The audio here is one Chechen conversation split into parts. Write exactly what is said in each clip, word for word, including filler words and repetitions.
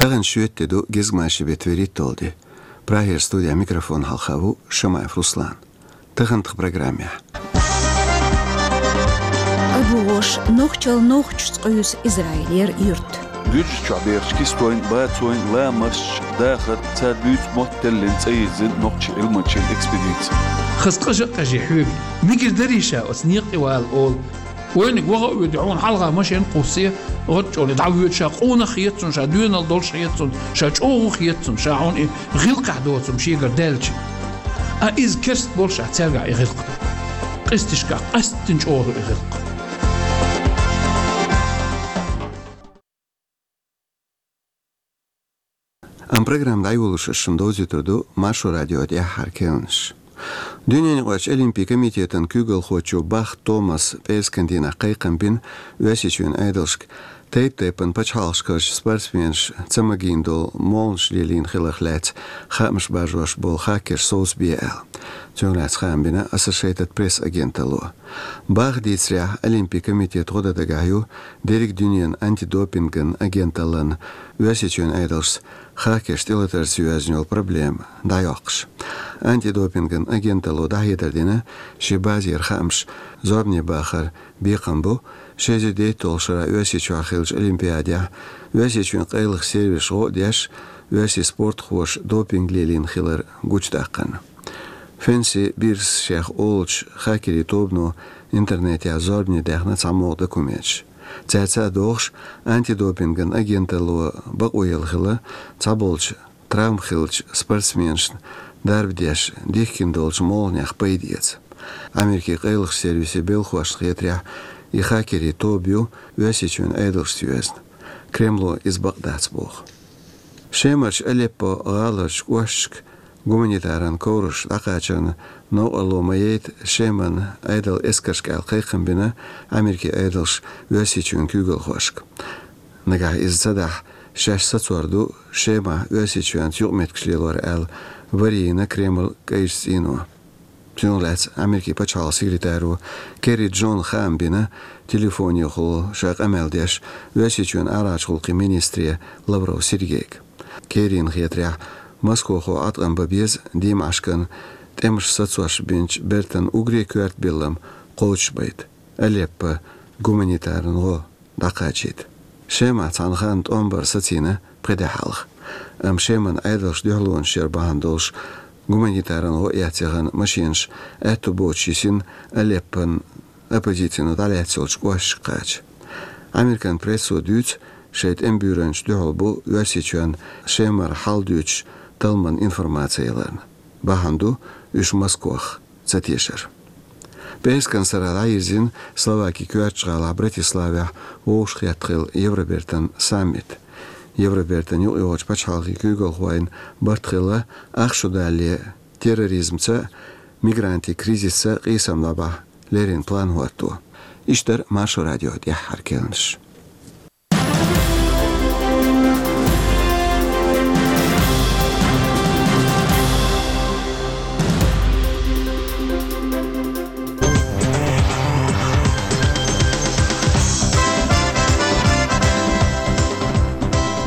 Тахана шоьтан де ду, гезгмашин бетт вуьрхӀитталгӀа де. Прагера студехь микрофон хьалха ву Шамаев Руслан. Таханлера программехь. Абу-ГӀош, нохчалла нохчашца къуьйсу Израилера юрт. Гуьржийчохь бехачу кистойн, бацойн, ламасташ, дахарца, цара буьйцу мотт теллина цӀе йирзина нохчийн Ӏилманчин экспедици. Хаза къажа а къежий хьоьга, мегар дарий ша оцу некъа тӀе вала олу. Вайниг ваха а воьду, хьуна хьалха машен кхуссий, гӀатта чӀогӀа дӀавоьду, ша къонах хета цунна, ша доьналла долуш хета цунна, ша чӀогӀа хета цунна, ша хьуна и гӀиллакхехь доцург шегара даьлча. А иза керста болуш а цаьргахь и гӀиллакх. Къисташкахь къаьсттина чӀогӀа ду и гӀиллакх. Амма программа дӀайолош ас шуна довзуьйтур ду Маршо радион тӀаьххьара керланаш. Дуьненаюкъарчу Олимпийн комитетан куьйгалхочо Бах Томаса пӀераскан дийнахь кхайкхам бина Оьрсийчоьнан Ӏедалшка, тайп-тайпана пачхьалкхашкарчу спортсменаш ца магийна долу молханаш лелийна хиларх лаьцна хаамаш баржош болу хакерш совцабе аьлла. Цунах лаьцна хаам бина Associated Press агенталло. Баха дийцарехь, Олимпийн комитетан гӀо дан дагахь ю дерриг дуьненан антидопинган агенталлина Оьрсийчоьнан Ӏедалшца хакерш тӀелатарца йоьзна йолу проблема дӀайоккхуш. Антидопинган агенталло дӀахьедар дина, шен базера хаамаш зорбане бахаран бекхам бу ши эзар дейтталгӀачу шарахь Оьрсийчохь хиллачу Олимпиадехь Оьрсийчоьнан къайлахчу сервисаша гӀо а деш, оьрсийн спортхоша допинг лелийна хилар гучудаккхарна. Фенси Бирс шех олучу хакерийн тобано интернетехь зорбане даьхна цхьамогӀа документаш. Цаьрца а догӀуш, антидопинган агенталло бакъо елла хилла цхьаболчу травма хиллачу спортсменашна дарба деш дихкина долчу молханех пайда эца. Америкин къайлахчу сервисийн белхахошна хетарехь, и хакерийн тоба ю Оьрсийчоьнан Ӏедалшца йоьзна. Кремло иза бакъ дац боху. Шемарчу Алеппо гӀаларчу кӀошташка гуманитаран ковраш дӀакхачарна новкъарло ма яйта Шеман Ӏедалан эскаршка аьлла кхайкхам бина Америкин Ӏедалша Оьрсийчоьнан куьйгалхошка. Нагахь иза ца дахь, шаьш сацор ду Шемахь Оьрсийчоьнца юкъаметтигаш лелор аьлла, варийна Кремль кӀайчу цӀийно. Цунах лаьцна Америкин пачхьалкхан секретаро Керри Джона хаам бина телефонехула ша къамел деш Оьрсийчоьнан арахьарчу гӀуллакхийн министре Лавров Сергейга. Керрина хетарехь, Москохо Ӏаткъам бан беза диймашкан тӀемаш сацош бинчу бертан уггаре коьрта биллам кхочушбайта, Алеппо гуманитаран гӀо дӀакхачийта. Шемахь цхьана ханна тӀом бар сацийна пхи де хьалха. Амма Шеман Ӏедалша дуьхьалонаш яр бахьана долуш гуманитаран гӀо эцна яхана машенаш аьтту боцуш йисина Алеппон оппозицино дӀалаьцна йолчу кӀошташка кхача. Американ прессо дуьйцу, шайн тӀеман буьйранчашна дуьхьал бу Оьрсийчоьнна Шемара хьал дуьйцуш талламан информаци яларна. Бахьана ду уьш Москох ца тешар. ПӀераскан сарахь дӀайирзина Словакин коьртачу гӀалахь Братиславехь вовшахкхетта хилла Евробертан саммит. Евробертан юкъайогӀучу пачхьалкхийн куьйгалхойн барт хилла ах шу далале терроризмца, мигрантийн кризисца къийсам дӀабахьа леррина план хӀотто. Иштта дара Маршо радион тӀаьххьара керланаш.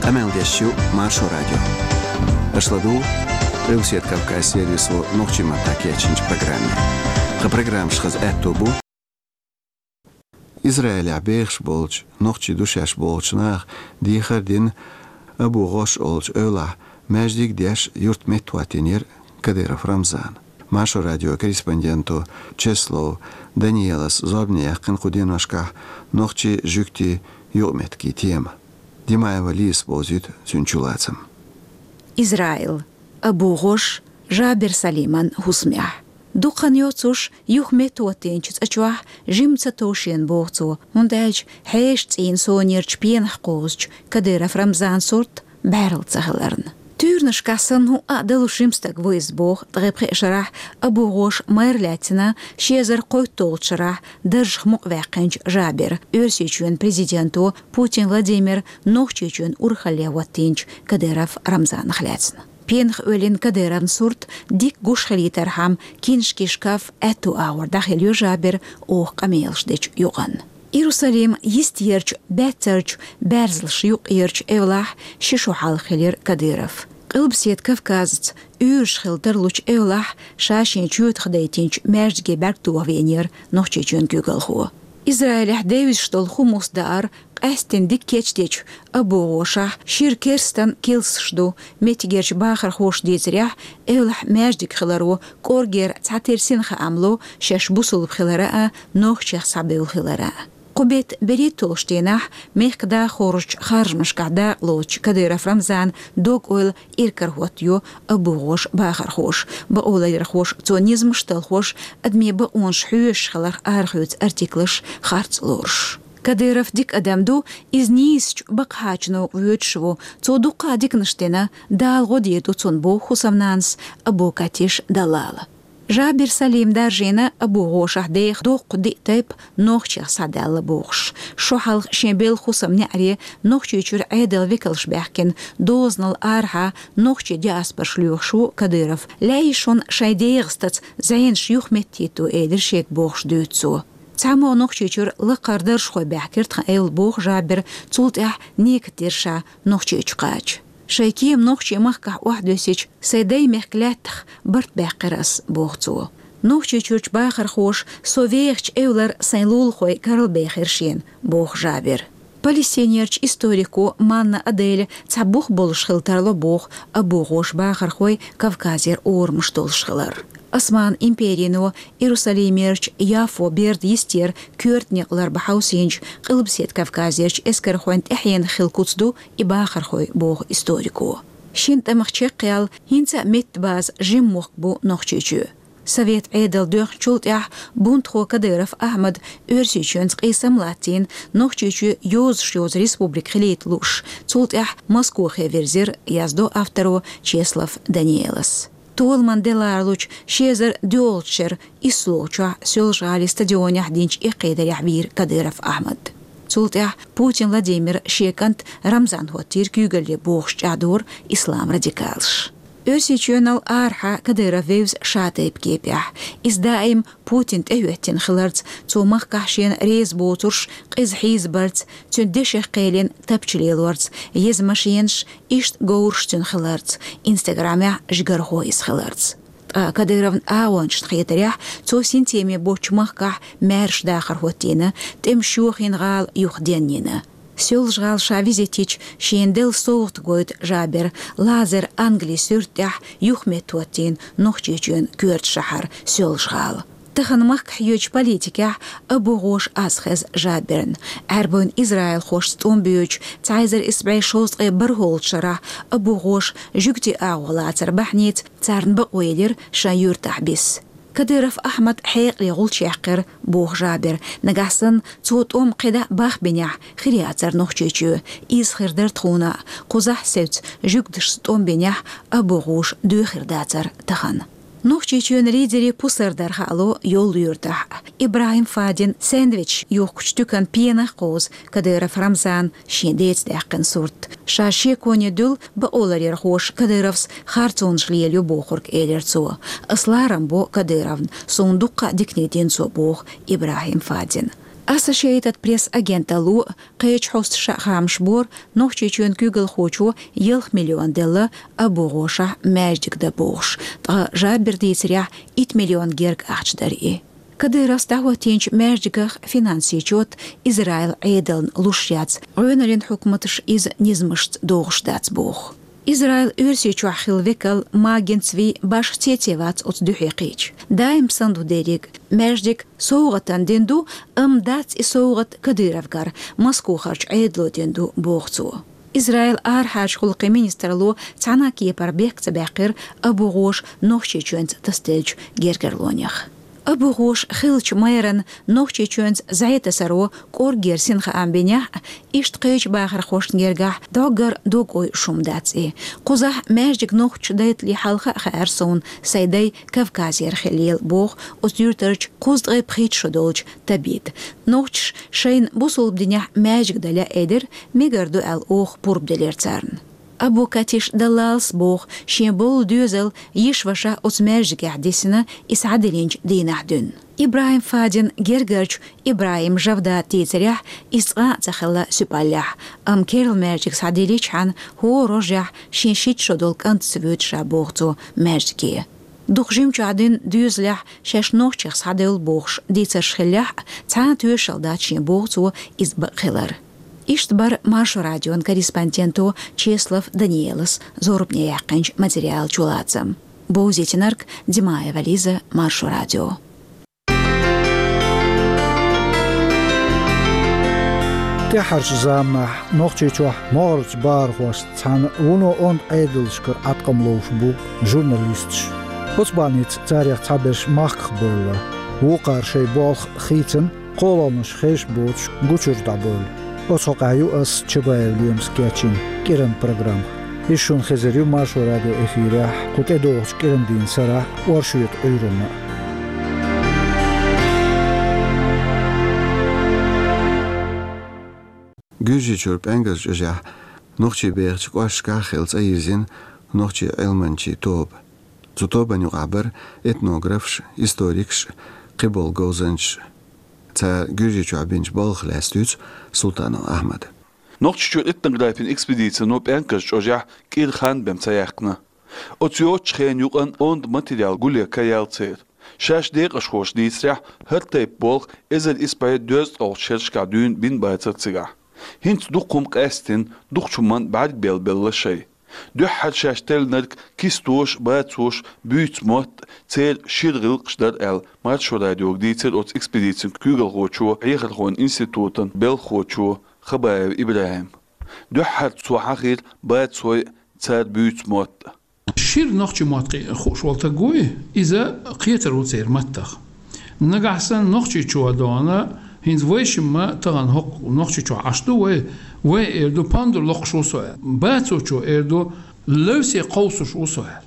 Къамел деш ю Маршо радио. Аша ладугӀу Къилбаседа Кавказ сервисо нохчийн маттахь кечйинчу программе. Тхан программаш хаза аьтто бу. Израилехь бехаш болчу нохчийн ду шаьш бохучу наха дехар дина Абу ГӀош олучу эвлахь маьждиг деш юрт меттахӀоттийнера Кадыров Рамзана. Маршо радион корреспонденто Чеслов Даниэлас зорбане яьккхина кху деношкахь нохчийн, жуьгтийн юкъаметтигийн тема. Димаева Лизас бовзуьйту цуьнан чулацам. Израил. Абу ГӀош, Жабер Салиман хӀусамехь. Дукха хан йоцуш юха меттахӀоттийначу цӀа чохь жимма ца тов шена, боху цо, хӀунда аьлча хьешан цӀийнан сонерчу пенах кхозучу Кадыров Рамзанан сурт бӀаьрла ца хиларна. Туьйранашкахь санна хӀуъа а далуш жима стаг ву иза, боху ткъе пхеа шарахь Абу ГӀош майра лаьцна ши эзар кхойтталгӀачу шарахь даржах мукъаваьккхинчу Жабера, Оьрсийчоьнан президенто Путин Владимира Нохчийчоьнан урхалле хӀоттийначу Кадыров Рамзанах лаьцна. Пенах оьллина Кадыровн сурт дика гуш хилийтархьама, киншкийн шкаф аьтту агӀор дӀахилийра Жаберан оха къамелаш дечу юкъанна. Иерусалим йистерчу баьццарчу баьрзалш юкъерчу эвлахь ши шо хьалха хилира Кадыров. Къилбаседа Кавказаца уьйраш хила тарлучу эвлахь ша шен чоьтах дайтинчу маьждиге бӀаьрг тоха веанера Нохчийчоьнан куьйгалхо. Израилехь девзаш долу Хумус даар къаьсттина дика кечдечу Абу ГӀошахь шира керстан килсаш ду. Меттигерчу бахархоша дийцарехь, эвлахь маьждиг хиларо кӀоргера цхьатерра син хаам ло шаьш бусулба хилара а, нохчех схьабевлла хилара а. Кху беттан берхӀитталгӀачу дийнахь мехкан дахархошчу харжамашкахь дакъалоцучу Кадыров Рамзанан дог-ойла иракарахӀоттайо Абу ГӀоша бахархоша. Бакъоларъярхоша цо низамаш а талхош, адамийн бакъонаш хьоьшуш хиларх арахоьцу артиклаш, харц лоруш. Кадыров дика адам ду, иза нийсачу бакъахьарчу новкъа воьдуш ву, цо дуккха а диканаш дина, Дала гӀо дийр ду цунна, боху хӀусамнанас Абу Катиш Даллала. Жабир Салим даржийна Абу ГӀошахь деха доккха диъ тайпа нохчех схьадаьлла бохуш. Шо хьалха шен белхан хӀусамнеӀаре Нохчийчуьра Ӏедалан векалш баьхкина дозанал арахьа нохчийн диаспораш лоьхуш ву Кадыров. Лаьий шуна шайн дегӀастаца зӀенаш юхаметтахӀитто, элира шега бохуш дуьйцу цо. Цхьаммо Нохчийчуьра лакхара даржхой баьхкира тхан эвла, боху Жабира, цул тӀаьхьа некат дира ша Нохчийчу кхача. Шайн кема нохчийн махкахь охьадоьссича, сайн даймехкан лаьттах барт баьккхира ас, боху цо. Нохчийчуьрчу бахархоша со вехачу эвлара сайн лулахой каралбехира шена, боху Жабира. Палестинерчу историко Манна Аделя цхьа бух болуш хила тарло, боху Абу ГӀоша бахархой Кавказера орамаш долуш хилар. Осман империно Иерусалимерчу Яффо берда йистера коьртанекъ ларбан хьовсийначу Къилбаседа Кавказерчу эскархойн тӀаьхьенах хилла куц ду и бахархой, боху историко. Шина тӀамах чекхъяьлла, хӀинца а меттан база жима мохк бу Нохчийчоь. Совет Ӏедал доьхначул тӀаьхьа бунтхо Кадыров Ахьмада Оьрсийчоьнца къийсам латтийна, Нохчийчоь йозуш йозу республика хилийта лууш, цул тӀаьхьа Москохе вирзира, яздо авторо Чеслов Даниэлас. Толаман де ларалучу ши эзар доьалгӀачу шеран исслагӀчохь Соьлжа-ГӀалин стадионехь динчу эккхийтарехь вийра Кадыров Ахьмад. Цул тӀаьхьа Путин Владимира шен кӀант Рамзан хӀоттийра куьйгалле, бохуш чӀагӀдора ислам радикалаш. Оьрсийчоьнал арахьа Кадыров вевза шатайпа кепехь. Иза даим Путин тӀехӀоьттина хиларца, цо махкахь шена реза боцурш къиза хьийзабарца, цуьнан дешех кхелина тапча лелорца, еза машенаш, иштта говраш цуьнан хиларца, Инстаграмехь жигархо иза хиларца. Ткъа Кадыровн агӀончашна хетарехь, цо синтеме боцчу махкахь маьрша дахар хӀоттийна, тӀемаш йохийна, гӀала юхаденйина. Соьлжа-ГӀала ша визит йича, шена делла совгӀат гойту Жабира, лазер англи суьрта тӀехь юхаметтахӀоттийна Нохчийчоьнан коьрта шахьар Соьлжа-ГӀала. Тахана махкахь йоьдучу политикехь Абу ГӀоша аз хеза Жабирна. Ӏаьрбойн израилхошца тӀом боьдучу цхьа эзар исс бӀе шовзткъе бархӀолгӀачу шарахь Абу ГӀоша жуьгтийн агӀо лацар бахьанийца царна бакъо елира шайн юьртахь бисса. Кадыров Ахьмад хьекъале гӀулч яьккхира, боху Жабира. Нагахь санна цо тӀом кхидӀа бахбинехь, хир яцара Нохчийчоь. Иза хир дара тхуна а. Кхузахь севца жуьгташца тӀом бинехь, Абу ГӀоша доьхур дацара тахана. Нохчийчоьнан лидерийн пусар дар хаало йолу юьртахь. ИбрахӀим Фадин сэндвич йохкучу туьканан пенах кхуза Кадыров Рамзана шен деца даьккхина сурт. Ша шеконе дуьллу бакъоларъярхоша Кадыровс харцонаш лелайо бохург, элира цо. Ас ларам бо Кадыровна, суна дуккха а дикане дина цо, боху ИбрахӀим Фадина. Associated Press агенталло кхечу хьосташа а хаамаш бора, Нохчийчоьнан куьйгалхочо ялх миллион делла Абу ГӀошахь маьждиг дан бохуш, ткъа Жабира дийцарехь, итт миллион герга ахча дара и. Кадыровс дӀахӀоттийначу маьждигах финансийн чот Израилан Ӏедална луш яц, гӀоьналлин хьукматаш иза низамашца догӀуш дац боху. Израилан Оьрсийчохь хилла векал Маген Цви башха цецвац оцу дуьхье кхиъча. Даим санна ду дерриг. Маьждиг совгӀатана дина ду, амма дац и совгӀат Кадыровгара, Москохарчу Ӏедало дина ду, боху цо. Израилан арахьарчу гӀуллакхийн министралло цхьана а кепара бехк ца баьккхира Абу ГӀоша Нохчийчоьнца тасаделлачу гергарлонех. Абу ГӀоша хиллачу мэран Нохчийчоьнца зӀе-тасаро кӀорггера синхаам бинехь а, иштта кхечу бахархошна гергахь дӀоггара дог-ой шума дац и. Кхузахь маьждиг нохчаша дайтале хьалха а хаьара суна, сайн дай Кавказера хиллал, боху оцу юьртарчу кхузткъе пхийтта шо долчу Табита. Нохчаша шайна бусулба динехь маьждиг дан лаьа элира, мегар ду аьлла оха пурба делира царна. Абу Катиш Даллалс боху, шен болу доьзал йиша-ваша оцу маьждигехь дисина, и схьадиллинчу дийнахь дуьйна. ИбрахӀим Фадин гергарчу ИбрахӀим Жавдат дийцарехь, иза цкъа а ца хилла Суьпаллехь, амма керла маьждиг схьадилличхьана, хӀора рожехь шен шийтта шо долу кӀант ца воьду ша боху цо маьждиге. Дукха жимчохь дуьйна доьзалехь шаьш нохчех схьадевлла бохуш дийцарш хиллехь а, цхьа а тоьшалла дац шен боху цо иза бакъ хилар. Иштта бара Маршо радион корреспонденто Чеслов Даниэлас зорбане яьккхинчу материалан чулацам. Бовзийтинарг Димаева Лиза, Маршо радио. ТӀаьххьарчу заманахь Нохчийчохь могӀарерчу бахархошца цхьаьна вуно онда Ӏедалшкара Ӏаткъам ловш бу журналисташ. Оцу бахьаница царех цхьаберш махках бевлла, вукхара шайн болх хийцина, кхолламаш хезаш боцуш гучуьра дӀабевлла. Оцу хьокъехь ю ас, Чабаев Лемас, кечйина кӀиранан программа. Иза шуна хезар ю Маршо радион эфирехь кху тӀедогӀучу кӀиранан дийнан сарахь оршотан Ӏуьйранна. Гуьржийчуьра ПӀаьнкаш чӀожехь нохчий бехачу кӀошташкахь хилла цӀа йирзина нохчийн Ӏилманчийн тоба. Цу тобанна юкъахь бара этнографаш, историкаш, кхиболу говзанчаш. Цара Гуьржийчохь бинчу балхах лаьцна дуьйцу Султанов Ахьмада. Нохчийчуьра этнографийн экспедицино ПӀаьнкаш чӀожехь кӀира хан бен ца яьккхина. Оцу йоцучу хенан юкъанна онда материал гулъян ка яьлла церан. Шаьш декъашхоша дийцарехь, хӀара тайпа болх эзар исс бӀе дезткъалгӀачу шерашкахь дуьйна бина бацара цигахь. ХӀинца дукха хӀума къаьстина, дукхачу хӀуманна бӀаьрг белла-белла шайн. Дуьххьара шаьш теллинарг кистош, бацош, буьйцу мотт, церан шира гӀиллакхаш дара аьлла, Маршо радиога дийцира оцу экспедицин куьйгалхочо, Хьехархойн институтан белхахочо Хабаев ИбрахӀима. Дуьххьара цо хьахийра бацойн, цара буьйцу мотт. Шира нохчийн мотт кхи-, хууш волу стаг вуй, иза кхетар ву церан маттах. Нагахь санна Нохчийчохь дона, хӀинца вайшимма тахана хӀокху Нохчийчохь Ӏаш ду вай, вай эр ду, пандур локхуш ву со аьлла. Бацочо эр ду, левсе кховсуш ву со аьлла.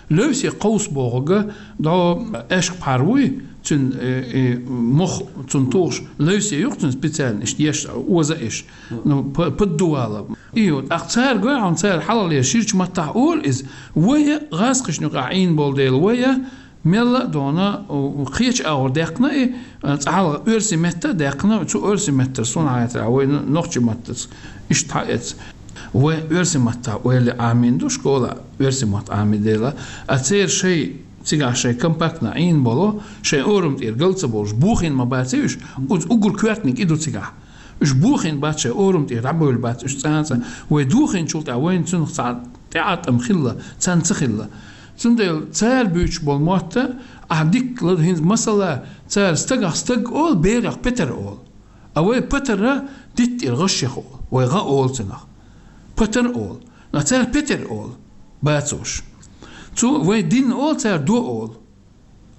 Левсе кховса бохург, дӀо аьшка пхьар вуй, цуьнан, э, э, мох цунна тухуш, левсе ю-кх цуьнан специально, иштта еш, оза еш. Ну, п-, поддувало. И вот, тӀаккха цара гой хьуна, цара хьалхалера ширачу маттахь олу иза. Вай а гӀазкхашна юкъахь Ӏийна болу дела, вай а мелла а дона, у, кхечу агӀор даьккхина и, а, цкъа хьалха оьрсийн метта а даьккхина, цу оьрсийн меттара суна хьаьтара, вай н-, нохчийн маттаца иштта хьаэца. Вай оьрсийн маттахь ойла Ӏамийна ду школа, оьрсийн мотт Ӏамийна дела, а церан шайн, цигахь шайн компактно Ӏийна болу, шайн орам тӀера гал ца болуш, бохийна ма баций уьш, уьш уггар коьртаниг и ду цигахь. Уьш бохийна бац, шайн орам тӀера дӀабевлла бац уьш цкъа а цкъа. Вай дохийначул тӀаьхьа вайна цунах цхьа тӀеӀаткъам хилла, царна ца хилла. Цундела цара буьйцуш болу мотт ахь дикка лада хӀинца, масала, цара стагах стаг олу, берах петар олу. А вай патара дитта тӀера гӀаш яха олу, вай гӀа олу цунах. Патар олу. А цара петар олу, бацош. Цу вай дин олу, цара до олу.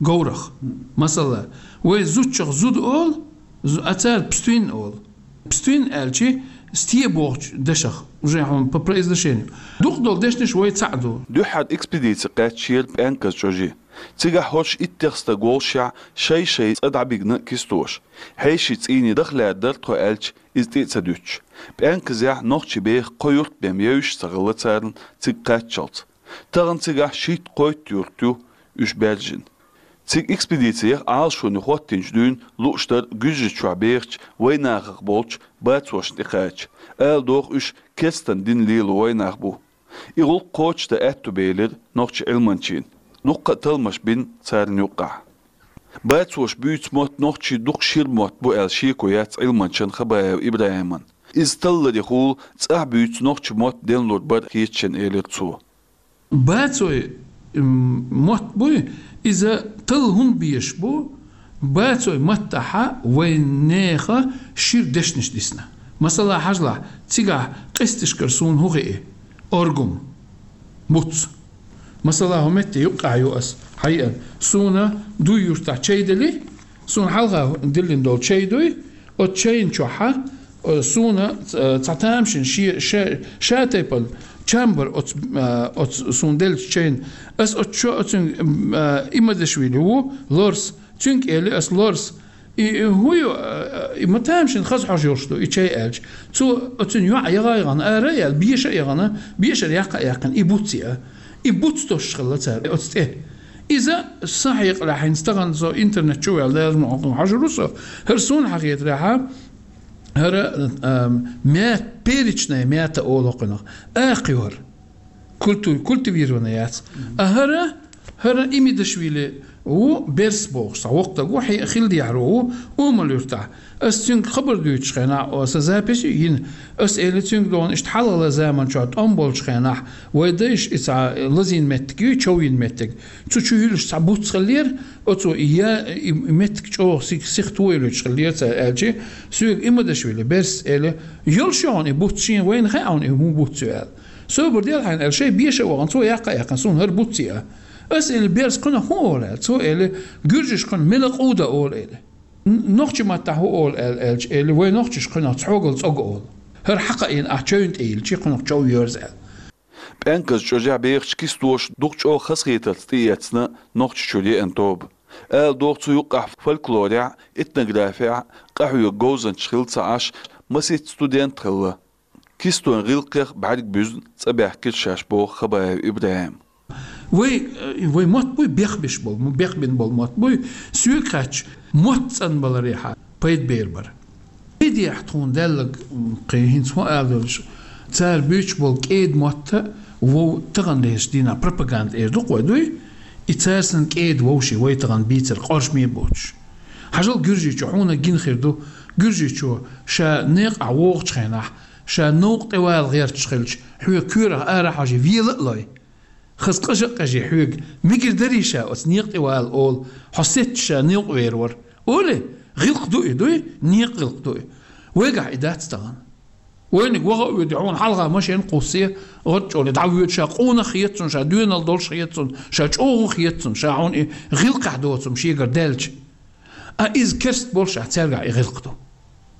Говрах. Масала, вай зудчах зуда олу, зу-, а цара пстуин олу. Пстуин аьлчи, сте бохучу дашах, уже хьуна по произношению. Дукха долу дешнаш вай цхьаъ ду. Дуьххьара экспедици кхаьччера ПӀаьнкаш чӀожи. Цигахь хӀорш иттех стаг волушехь, шай-шай цӀа дӀабигна кистош. Хьеший цӀийне дахлаьрдар тхо аьлча, иза тӀе а ца дуьтуш. ПӀаьнказехь нохчий беха кхо юрт бен евзаш ца хилла царна цига кхаччалц. Тахана цигахь шийтта-кхойтта юрт ю уьш баьржина. Цига экспедици яха Ӏалашоне хӀоттийначу дуьйна лууш дара Гуьржийчохь бехачу вайнахах болчу бацошна тӀекхача. Ала догӀу, уьш керстан дин лело вайнах бу. И гӀуллакх кхочушдан аьтто белира нохчийн Ӏилманчийн. Дуккха а талламаш бина царна юккъехь. Бацоша буьйцу мотт нохчийн дукха шира мотт бу аьлла шеко яц Ӏилманчан Хабаев ИбрахӀиман. Иза талларехула цӀахь буьйцу нохчийн мотт денлур бара хеташ шена, элира цо. Бацой, м, мотт буй, иза талла хӀунда безаш бу, бацой маттахьа вайн нехан шира дешнаш дисна. Масала, хьажалахь, цигахь къесташкара суна хӀун хии? Оргум. Муц. Масала, хӀун метте юккъехь ю ас, хьайиан. Суна дуй юртахь чай дели, суна хьалха диллина долу чай дуй, оцу чайна чохьа, э, суна, э, цхьа тамашийна ше-, ша-, ша тайпана чамбар оцу, э, оцу суна деллачу чайна. Ас оцу чо-, оцуьнга, э, Имадашвили ву, лорс. Цуьнга эли ас: «Лорс, И, и хӀу ю, э, и ма тамашийна хаза хьожа йолуш ду, и чай аьлча. Цо оцун йоӀ яха а яхана, ара а яьлла, беша а яхана, бешара яккха а яьккхина, и буц яа. И буц тосуш хилла цара оцу тӀе. Иза сан хьекъалехь, хӀинца тахана со интернет чу ваьлла, лазам хьожур ву со, хӀара суна хьахетарехьа, хӀара, ам, мята, перечная мята олу кхунах. Акхайора. Культу-, культивированная яц. А хӀара, хӀара Имидашвили ву, Берс бохуш, цхьа воккха даг ву, хье-, хила дехьаро ву, Умал-Юьртахь. Ас цуьнга хабар дуьйцучу хенахь, о, сан запись ю йина. Ас эли цуьнга догӀун, иштта хьалхалла заман чохь тӀом болчу хенахь, вай дайша и цхьа лазийна меттиг ю, човйина меттиг. Цу чу юьллуш цхьа буц хиллера, оцо и я-, и меттиг чӀогӀа сих-, сиха тойлуьйтуш хиллера цара аьлчи, соьга Имидашвили, Берс эли, йолуш ю хьуна и буц шена, вайна хаьа хьуна и хӀун буц ю аьлла. Собар дел хьайна аьлла, шайн беша а вахана, цо яккха а яьккхина, суна хӀара буц яа. Ас эли, Берс кхунах хӀун олу аьлла, цо эли, гуьржаш кхунах мелакъуда олу эли. Н-, нохчи маттахь хӀун олу аьлла аьлча эли, вай нохчаш кхунах цхьогал цӀог олу. ХӀара хьакхаийна ахь чевнна тӀе йилчи, кхунах чов йоьрзу аьлла. ПӀенказ чӀожехь бехачу кистоша дукха чӀогӀа хазахетарца тӀеэцна Нохчийчуьра еана тоба. Ала догӀу цу юккъехь фольклорехь, этнографехь къахьоьгу говзанчаш хилла ца Ӏаш, масийтта студент хилла. Кистойн гӀиллакхех бӀаьрг буьзна цӀа баьхкира шаьш, боху Хабаев ИбрахӀима. Вай, э, вай мотт буй, бехбеш болу, бехбина болу мотт буй, соьга хаьттича, мотт цӀанбаларехьа пайда бер бара. Пайдехь тхуна даьлларг, м, кхин хӀинца хӀун ала долуш, цара буьйцуш болу кӀеда мотта вов тахана лезачу дийнахь пропаганда эр ду-кх вай, дуй? И цара санна кӀеда вовший вай тахана бийцар къоржаме а боцуш. Хьажал гуьржичо, хьуна гина хир ду, гуьржичо ша некъахь вогӀучу хенахь, ша новкъа тӀевала гӀерташ хилча, хьоьга коьрах ара а хьожий, вела а лой. Хаза къажа а къежий хьоьга, мегар дарий ша оцу некъа тӀе вала олу, хьо сецча ша новкъа вер вара. Олий, гӀиллакх ду и, дуй? Некъа гӀиллакх ду и. Вайгахь и дац тахана. Вайниг ваха а воьдий, хьуна хьалха машен кхуссий, гӀорчӀоле дӀавоьду, ша къонах хета цунна, ша доьналла долуш хета цунна, ша чӀогӀа хета цунна, ша хьуна и гӀиллакхехь доцу хӀума шегара даьлча. А иза керст болуш а цаьргахь и гӀиллакх ду.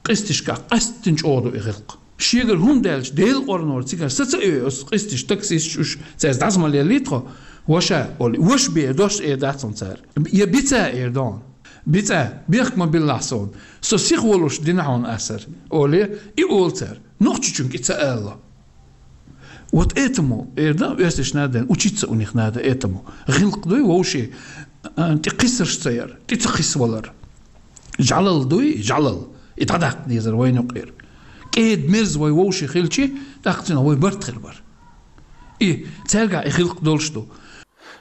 Къисташкахь къаьсттина чӀогӀа ду и гӀиллакх. Шегара хӀума даьлча, Делан къорнора цигара саца а оьй оцу къисташ, таксисташ уьш, цаьрца дӀаса ма леллий тхо, ваша, олий, ваша бе, дош эр дац хьуна цара. Я бица эр ду хьуна. БицӀа, бехк ма биллахь суна. Со сиха волуш дина хьуна асар, олий, и олу цара. Нохчичуьнга и ца ала. Вот этому, эр дан, оьрсаша надо, учиться у них надо этому. ГӀиллакх дуй вовший, а, тӀе кхиссарш ца яр, тӀе ца кхиссавалар. ЖӀалал дуй, жӀалал. И дӀадаккха дезар вайна юкъера. КӀеда мерза вай вовший хилчи, тӀаккха цуьнан вай барт хир бара. И цаьргахь и гӀиллакх долуш ду.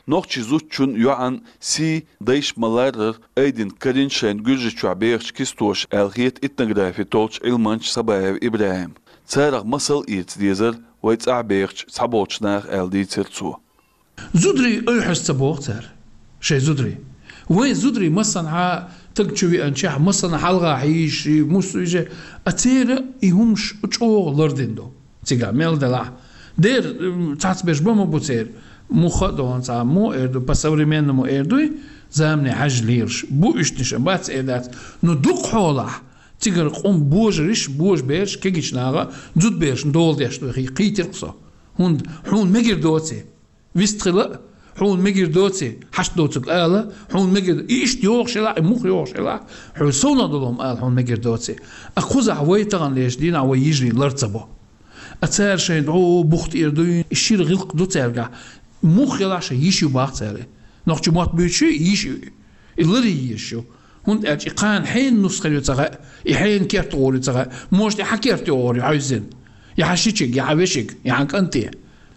Нохчийн зудчун, йоӀан сий дайша ма-ларрара айдина карийна шайна Гуьржийчохь бехачу кистоша аьлла хета этнографи толлучу Ӏилманча Сабаев ИбрахӀима. Царах масал а эца дезара вай цӀахь бехачу цхьаболчу наха, аьлла дийцира цо. Зударий ойхьаз ца боху цара, шайн зударий. Вайн зударий массанхьа таг чу веанчехь, массанхьа хьалха хьийзаш, муссуьйже, а церан и хӀумаш чӀогӀа лардина ду. Цигахь мел делахь, дера, м, цхьацберш бан ма бу церан. Муха а догӀун цхьа, муха эр ду, по-современному эр дуй, замане хьаьжжа лелаш. Бу уьш дешан, бац эр дац. Ну, дукха хьолахь, цигара къум божариш, божабераш, кегийчу наха, зудберашна дола деш ду, хи-, кхийтира-кх со. ХӀунда хьуна мегар доций. Вистхила а, хьуна мегар доций, хьашт доцург ала, хьуна мегар, и иштта йогӀуш елахь, и муха йогӀуш елахь, хьуна совнах долу хӀума ала хьуна мегар доций. А кхузахь вай тахана лезачу дийнахь вай йижарий лар ца бо. А цара шайн дӀо бух тӀера дуьйна, и шира гӀиллакх ду цаьргахь. Муха елахь шайн йиш ю бах цара. Нохчийн мотт буьйцуш ю, йиш ю. И ларъян езаш ю. ХӀунда аьлча и кхана хьенан нус хир ю ца хаьа, и хьенан керта гӀур ю ца хаьа. Может, и хьан керта гӀур ю хьаьвзина. Я хьан шичиг, я хьан вешиг, я хьан кӀанте.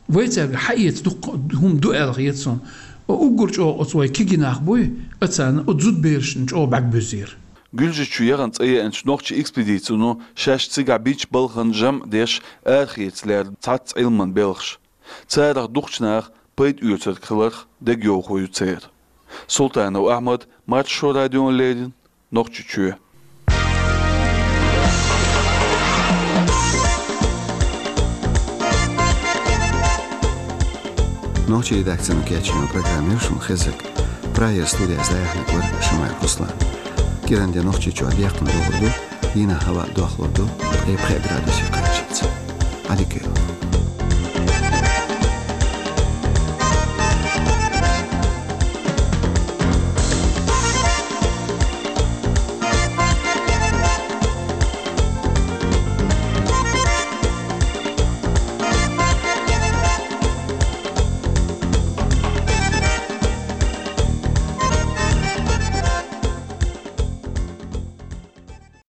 Вай цаьрга хьаэца дуккха хӀума ду аьлла хета суна. Уггар чӀогӀа оцу вай кегий нах буй, а царна оцу зудберашна чӀогӀа бӀаьрг буьззера. Гуьржийчу яхана цӀа еанчу нохчийн экспедицино шаьш цигахь бинчу балхана жамӀ деш, арахеца лерина цхьацца Ӏилманан белхаш. Царах дукхачу наха пайда оьцург хиларх дегайовхо ю церан. Султанов Ахьмад, Маршо радиона леррина, Нохчийчоь. Нохчийн редакцино кечйина программа яра шуна хезнарг. Прагера студехь дӀаяьхьнарг вара Шамаев Руслан. КӀиранде Нохчийчохь декхна догӀур ду, дийнахь хӀаваъ дохлур ду ткъе пхеа градусе кхаччалц. Ӏадика йойла.